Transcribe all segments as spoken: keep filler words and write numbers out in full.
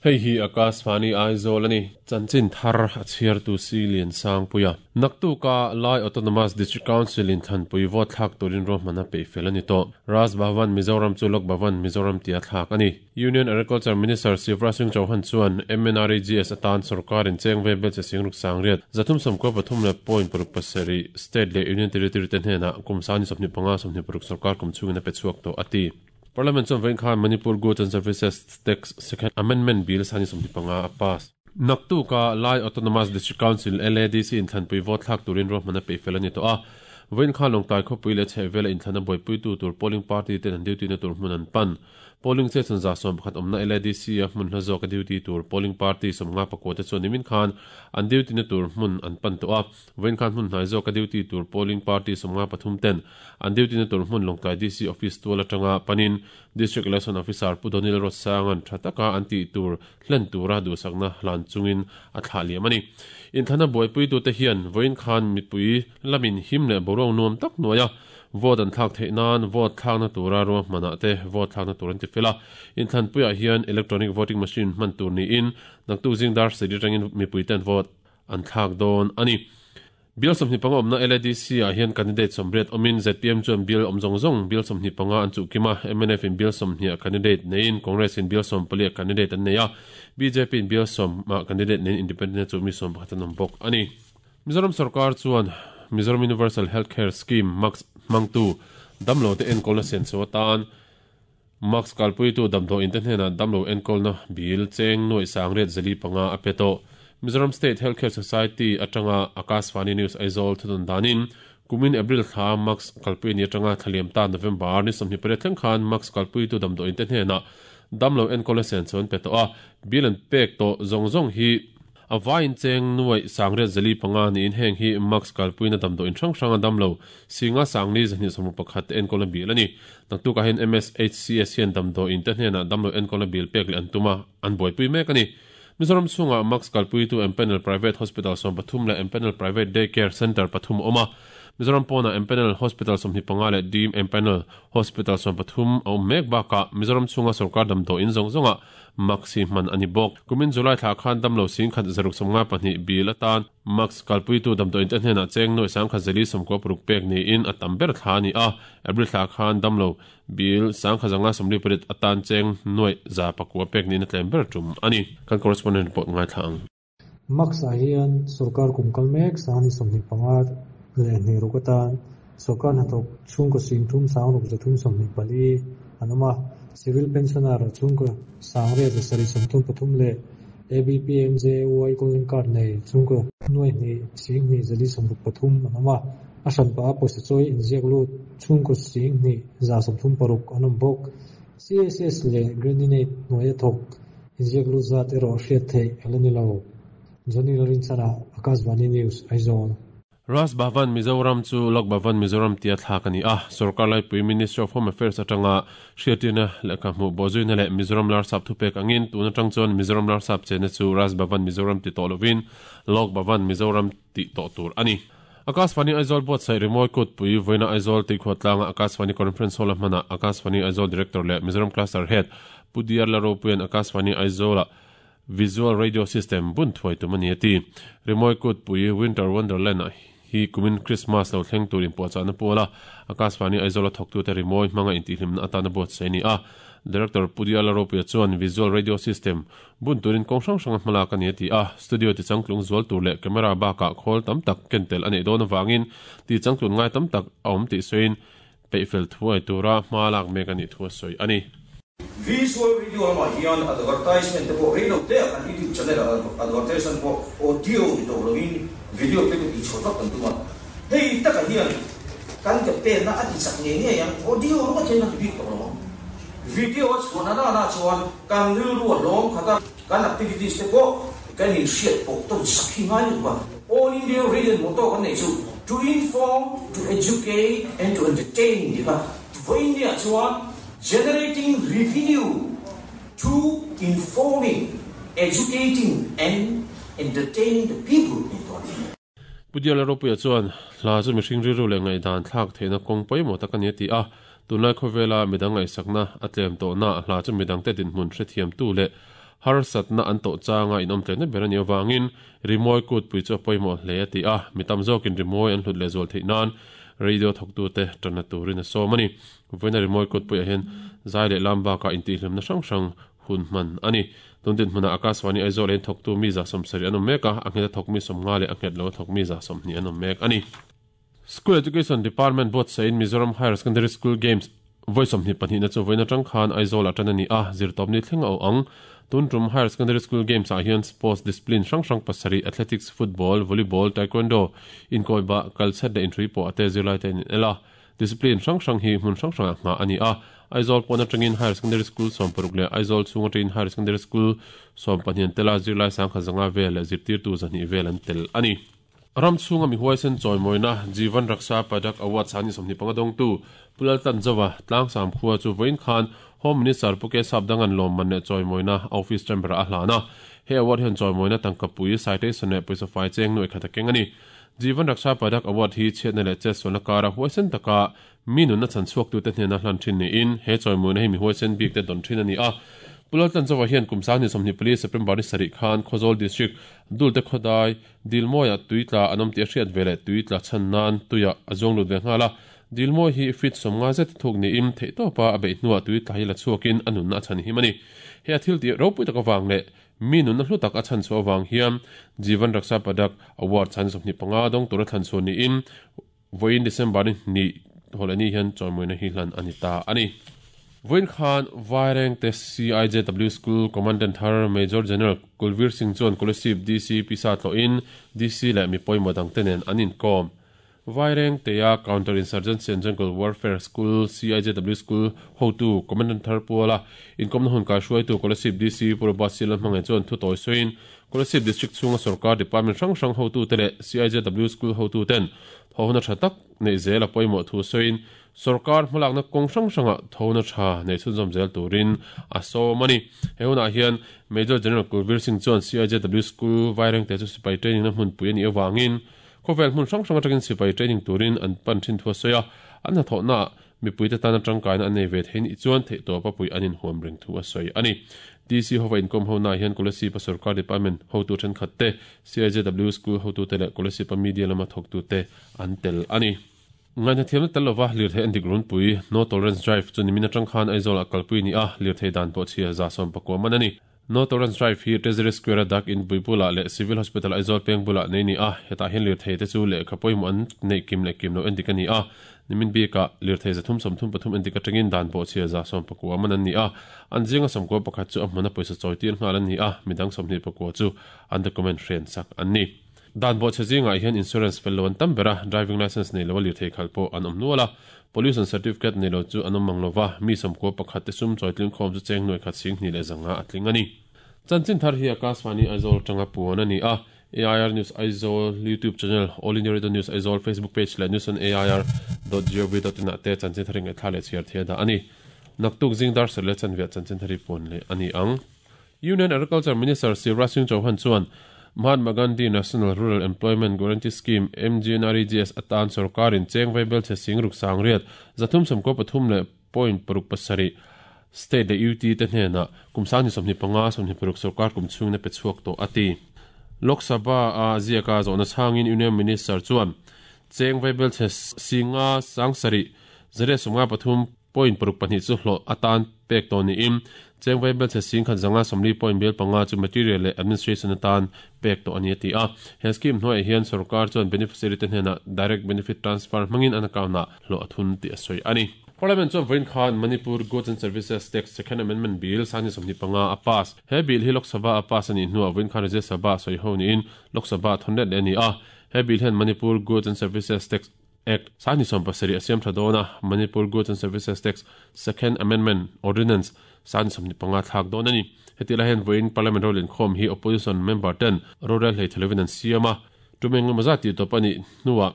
Hei hi Akashvani Aizawl ani chanchin thar a chhiar tu si lian sang puia naktuka Lai Autonomous District Council in thanpui vote thlak turin rohmana pe fel ani to Raj Bhavan Mizoram chu Lok Bhavan Mizoram tia thlak ani Union Agriculture Minister Shivraj Singh Chauhan chuan M N R E G S atan sarkar in chengve bel che singruk sangriat zathum samko pathum le point paruk pasari state le union territory ten hena kumsani somni panga somni paruk sarkar kum chungina pe chuak to ati Parliament chuan vein khan Manipur Goods and Services Tax Second Amendment Bill sani somni panga a pass. Naktuka Lai Autonomous District Council L A D C in thanpui vote thlak turin rohmana pe fel ani to a vein khan longtai khopui le chhevela in thana boipui tu tur polling party ten an duty na tur hmun an pan polling station za som pakhat omna L A D C a hmun hla zawk a duty tur polling party somnga pakua te chuan nimin khan an duty na tur hmun an pan to a vein khan hmun hnai zawk a duty tur polling party somnga pathum ten an duty na tur hmun longtai D C office tual atanga panin district election officer Pudonil Rosangan thataka an ti tur hlen tura du sakna hlan chungin a thla liam ani in thana boipui tu te hian vein khan mipui lamin him le borong nuam tak noya vote an thlak theih nan vote thlak na tura ro hmana te vote thlak na tur an ti fela in thlan puia hian electronic voting machine hman tur ni in naktu zingdar sedi tangin mipui ten vote an thlak dawn ani bill somni panga omna L A D C a hian candidate somriat omin Z P M chuan bill omzong zong bill somni panga an chu kima M N F in bill somni a candidate nein Congress in bill som pali a candidate an neia B J P in bill som ma candidate nein independent chu mi som pakhat an bok ani Mizoram sarkar chuan Mizoram Universal Healthcare Scheme Max mangtu damlo te enkawl na sen so tan Max kalpui tu damdo in te hnena damlo enkawl na bill cheng noi sangret zali panga apeto Mizoram State Healthcare Society atanga Akashvani News Aizawl thudun danin kumin April thla Max kalpui ni atanga thaliam ta November ni somni pare thleng khan Max kalpui tu damdo in te hnena damlo enkawl na sen chon peto a bill an pek to zong zong hi a vain cheng nuai sangre zali panga ni in heng hi Max kalpui na damdo in hrang hrang damlo singa sangni zani somu pakhat enkawl na bil ani naktu ka hen M S H C S hian damdo in te hnena damlo enkawl na bil pek le an tuma an boipui mek ani Mizoram chunga Max kalpui tu Empanel Private Hospital som pathum le Empanel Private Day Care Center pathum oma Mizoram pona Empanel Hospital som hi panga le Dim Empanel Hospital som pathum au mek baka Mizoram chunga sarkar damdo in zong zonga Maxi man ani bok kumin July thla khan damlo sing khat zaruk somnga pahnih bil atan Max kalpui tu damdo in te hnena cheng noi sang kha zali somko pruk pek ni in atam ber thla ni a April thla khan damlo bil sang kha zanga somli parit atan cheng noi za pakua pek ni na tlem ber tum ani kan correspondent report ngai thlang Max a hian sarkar kum kalmek sani somni panga le ni rukatan sarkar na thok chung ko sing thum sang ruk zathum somni pali anama civil pensioner chung ko sangre za sari somthum pathum le A B P M J Y golden card nei chung ko noi ni sing ni zali somruk pathum anama asan pa posa choi injek lu chung ko sing ni za somthum paruk anam bok C S S le granite noi thok injek lu za te ro hriat thei elani lo Johnny Lorin Sara Akashvani News Aizawl Raj Bhavan Mizoram chu Lok Bhavan Mizoram tia thlak ani a sarkar lai pui Ministry of Home Affairs atanga hriatina lekha hmu bozuina le Mizoram lar sap thupek angin tuna tang chuan Mizoram lar sap chena chu Raj Bhavan Mizoram ti to lovin Lok Bhavan Mizoram ti to tur ani Akashvani Aizawl bot sai remoi kut pui voina Aizawl ti khwatlanga Akashvani Conference Hall mana Akashvani Aizawl Director le Mizoram Cluster Head Pudiar Laropuian Akashvani Aizawl Visual Radio System bun thuai tumani ati remoi kut pui Winter Wonderland hi kumin Christmas lo thleng turin po chana pola Akashvani Aizawl thok tu te rimoi manga in ti hlimna atana bot seni a Director Pudiala Ropia chuan Visual Radio System bun turin kong hrang hrang hmala kan ti a studio ti changtlung zual tur le camera ba ka khol tam tak kentel ani don awangin ti changtlun ngai tam tak awm ti soin peifel thuai tura hmalak mek ani thua soi ani Visual video ama hian advertisement te pawh reilo te kan YouTube channel advertisement pawh audio ni to lovin video te ti chhotak kan tuma hei taka hian kan ke pen na ati chak nge nge yang audio ro chen na ti bik to lo video chhona na na chuan kan ril ru lom khata kan activities te pawh kan in hriat pawh ton sakhi ngai lu ba All India Radio motto kan nei chu to inform, to educate and to entertain di ba voinia chuan generating revenue to informing, educating and entertaining the people in Tony. Pudiala Ropuia chuan hla chu mihring rilru leh ngaihdan thlak theihna kawng pawimawh tak ani ti a tunlai khawvela midang ngaihsakna a tlem tawhna hla chu midang te dinhmun hrethiam tu leh Har satna an to changa in om tlena berani awangin rimoi kut pui chu poimo hle ati a mitam zokin rimoi an hlut le zol theinan radio thoktu te tana turin so mani voina rimoi kut pui a hen zai le lamba ka inti hlimna hrang hrang hun man ani tuntin hmuna Akashvani Aizawl en thoktu mi za somsari anom meka anghet thok mi somnga le anghet lo thok mi za somni anom mek ani School Education Department bot sain Mizoram Higher Secondary School Games voice om ni pahnih na chu voina tang khan Aizawl atana ni a zirtawp ni thleng au ang tuntum Higher Secondary School Games ah hian sports discipline hrang hrang pasarih athletics, football, volleyball, taekwondo inkoiba kalchat le inhrui pawh ate zirlai te in ela discipline hrang hrang hi hmun hrang hrang ah ani a Aizawl pawna tangin Higher Secondary School sawm paruk le Aizawl chhunga tangin Higher Secondary School sawm pahnih tela zirlai sangkhat zanga vel le zirtir tu zahnih vel an tel ani ram chhunga mi huaisen chawimoina Jeevan Raksha Padak Award sani sawmhnih panga dawngtu Pulal Tanzawa tlangsam khua chu vawiin khan Home Minister Puke Sapdangan lawm man leh chawimoina office chamber a hlana he award hian chawimoina tangkapui citation leh pawisa fai cheng nuai khat a keng ani Jeevan Raksha Padak Award hi chhiatna leh chetsualna kara huaisen taka mi nunna chan chhuak tu te hnena hlan thin niin he chawimoina hi mi huaisen bik te dawn thin ani a Pulal Tanzawa hian kum sangni sawmhnih pali September ni sarih khan Khawzawl District Dulte Khodai Dilmoia tuitla anom ti a hriat ve leh tuitla chhan nan tuia a zawng lut ve nghala Dilmoi hi fit somnga zet thuk ni im thei tawpa a beih hnuah tuitla hi la chhuakin a nunna a chhan him ani he a thil ti ropui tak awang leh mi nunna hlu tak a chhan chu awang hian Jeevan Raksha Padak Award chan sawmhnih panga dawng tura thlan chhuah niin vawiin December ni hnih hawlani hian chawimoina hi hlan ani ta ani Vawiin khan Vaireng te C I J W School Commandant Har Major General Kulvir Singh chuan Kolasib D C Pisa tloin D C leh mi pawimawh dang te nen an inkawm Vaireng teia Counter Insurgency and Jungle Warfare School C I J W School hotu Commandant Thar Puala inkawmna hun kai hruaitu Kolasib D C Purba Silan hmangaih chuan thu tawi sawiin Kolasib District chhunga sarkar department hrang hrang hotu te leh C I J W School hotu ten thawhna tha tak nei zel a pawimawh thu sawiin sarkar hmalakna kawng hrang hranga thawhna tha nei chhunzawm zel turin a sawm ani he hunah hian Major General Kulvir Singh chuan C I J W School Vaireng te chu sipai training na hmunpui ani awangin khawvel hmun hrang hrang atangin sipai training turin an pan thin thu a sawi a an hnathawhna mipui te tan atangkaina an nei ve thein i chuan theih tawp a pui an inhuam reng thu a sawi ani D C hova inkawm ho na hian Kolasib a sarkar department hotu thenkhat te C I J W School hotu te leh Kolasib a media lama thawktu te an tel ani ngaina thiamna tel lova lirthei an dik runpui No Tolerance Drive chu nimin atang khan Aizawl a kalpui ni a lirthei dan pawh chhia za sawm pakua man ani No Tolerance Drive hi Treasury Square a dak in Buibula leh Civil Hospital Aizawl peng bula nei ni a hetah hian lirthei te chu lehkha pawimawh an neih kim leh kim lo en dik ani a nimin bika lirthei zathum sawmthum pathum en dik atangin dan pawh chhia za sawm pakua man an ni a an zinga sawmkua pakhat chu a hmuna pawisa chawi tir nghal an ni a midang sawmhnih pakua chu an document hren sak an ni dan pawh chhe zingah hian insurance fel lo an tam bera driving license nei lo a lirthei khal pawh an awm nual a pollution certificate nei lo chu an awm mang lova mi sawmkua pakhat te sum chawi tling khawm chu cheng nuai khat sing hnih leh zanga a tling ani chanchin thar hi Akashvani Aizawl tanga puan ani a A I R News Aizawl YouTube channel All India Radio News Aizawl Facebook page leh news on A I R dot gov dot in ah te chanchin thar ngai thla leh chhiar thei da ani naktuk zingdar ser leh chanviah chanchin thari puan leh ani ang Union Agriculture Minister Shivraj Singh Chauhan chuan Mahatma Gandhi National Rural Employment Guarantee Scheme M G N R E G S atan sarkarin cheng vaibel che singruk sangriat zathum samko pathum le point paruk pasari state le U T te hnena kumsang ni sawmhnih panga sawmhnih paruk sarkar kum chhung na pe chhuak tawh ati Lok Sabha a ziaka zawhna chhangin Union Minister chuan cheng vaibel che singa sangsari zare sawmnga pathum point paruk pahnih chu hlawh atan pek tawh niin cheng vaibel che sing khat zanga sawmli point bel panga chu material leh administration atan pek tawh ani ati a he scheme hnuaiah hian sarkar chuan beneficiary te hnena direct benefit transfer hmangin an account ah hlawh a thun tih a sawi ani Parliament chuan vawiin khan Manipur Goods and Services Tax Second Amendment Bill sangni sawmhnih panga a pass he bill hi Lok Sabha a pass ani hnuah vawiin khan Rajya Sabha sawi ho niin Lok Sabha thawn let leh ani a he bill hian Manipur Goods and Services Tax Act sangni sawm pasarih a siam tha dawn a Manipur Goods and Services Tax Second Amendment Ordinance sangni sawmhnih panga thlak dawn ani heti lai hian vawiin Parliament role inkhawm hi opposition member ten rorel hlei thelevin an siam a tumeng lama ti tawp ani hnuah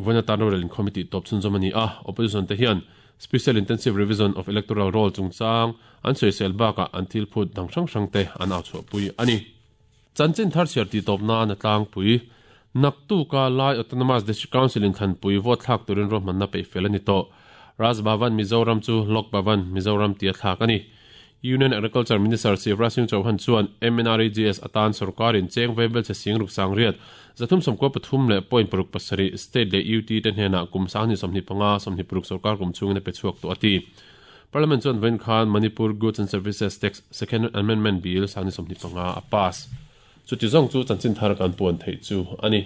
vawiin atan rorel inkhawm hi tih tawp chhunzawm ani a opposition te hian Special Intensive Revision of Electoral Roll chungchang an sawisel bakah an thil phut dang hrang hrang te an au chhuahpui ani chanchin thar chhiar tih tawp nan a tlangpui naktuka Lai Autonomous District Council in thlanpui vote thlak turin ruahmanna peih fel ani tawh Raj Bhavan Mizoram chu Lok Bhavan Mizoram tia thlak ani Union Agriculture Minister Shivraj Singh Chauhan chuan M N R E G S atan sarkarin cheng vebel che sing ruk sang riat zathum somko pathum le point paruk pasari state le U T te hnena kum sang ni somni panga somni paruk sarkar kum chungin pe chuak to ati. Parliament chuan ven khan Manipur Goods and Services Tax Second Amendment Bill sang ni somni panga a pass. Chu ti zong chu chanchin thar kan puan thei chu ani.